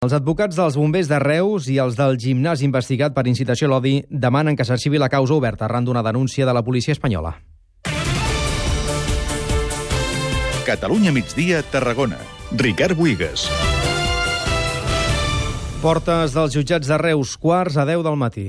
Els advocats dels bombers de Reus i els del gimnàs investigat per incitació a l'odi demanen que s'arxivi la causa oberta arran d'una denúncia de la policia espanyola. Catalunya migdia, Tarragona. Ricard Buigas. Portes dels jutjats de Reus, 9:45 del matí.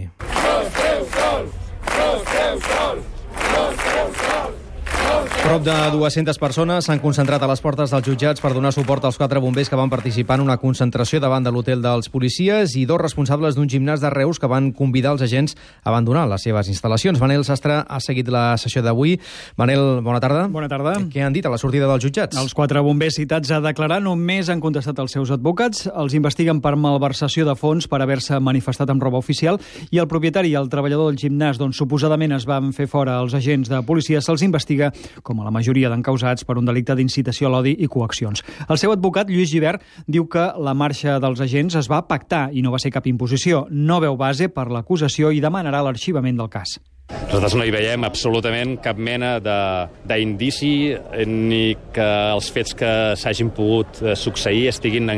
Prop de 200 persones s'han concentrat a les portes dels jutjats per donar suport als 4 bombers que van participar en una concentració davant de l'hotel dels policies i 2 responsables d'un gimnàs de Reus que van convidar els agents a abandonar les seves instal·lacions. Manel Sastre ha seguit la sessió d'avui. Manel, bona tarda. Bona tarda. Què han dit a la sortida dels jutjats? Els 4 bombers citats a declarar només han contestat els seus advocats. Els investiguen per malversació de fons per haver-se manifestat amb roba oficial i el propietari i el treballador del gimnàs, d'on suposadament es van fer fora els agents de policia, se'ls investiga com a la majoria d'encausats per un delicte d'incitació a l'odi i coaccions. El seu advocat, Lluís Gibert, diu que la marxa dels agents es va pactar i no va ser cap imposició. No veu base per l'acusació i demanarà l'arxivament del cas. Nosaltres no hi veiem absolutament cap mena d'indici ni que els fets que s'hagin pogut succeir estiguin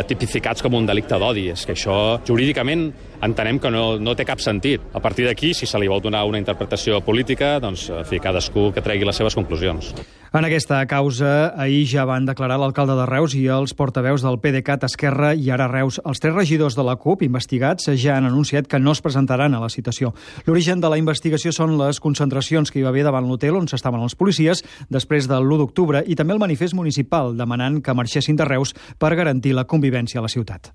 tipificats com un delicte d'odi. És que això, jurídicament, entenem que no té cap sentit. A partir d'aquí, si se li vol donar una interpretació política, doncs, en fi, cadascú que tregui les seves conclusions. En aquesta causa, ahir ja van declarar l'alcalde de Reus i els portaveus del PDeCAT, Esquerra i Ara Reus. Els 3 regidors de la CUP investigats ja han anunciat que no es presentaran a la citació. L'origen de la investigació són les concentracions que hi va haver davant l'hotel on s'estaven els policies després de l'1 d'octubre i també el manifest municipal demanant que marxessin de Reus per garantir la convivència a la ciutat.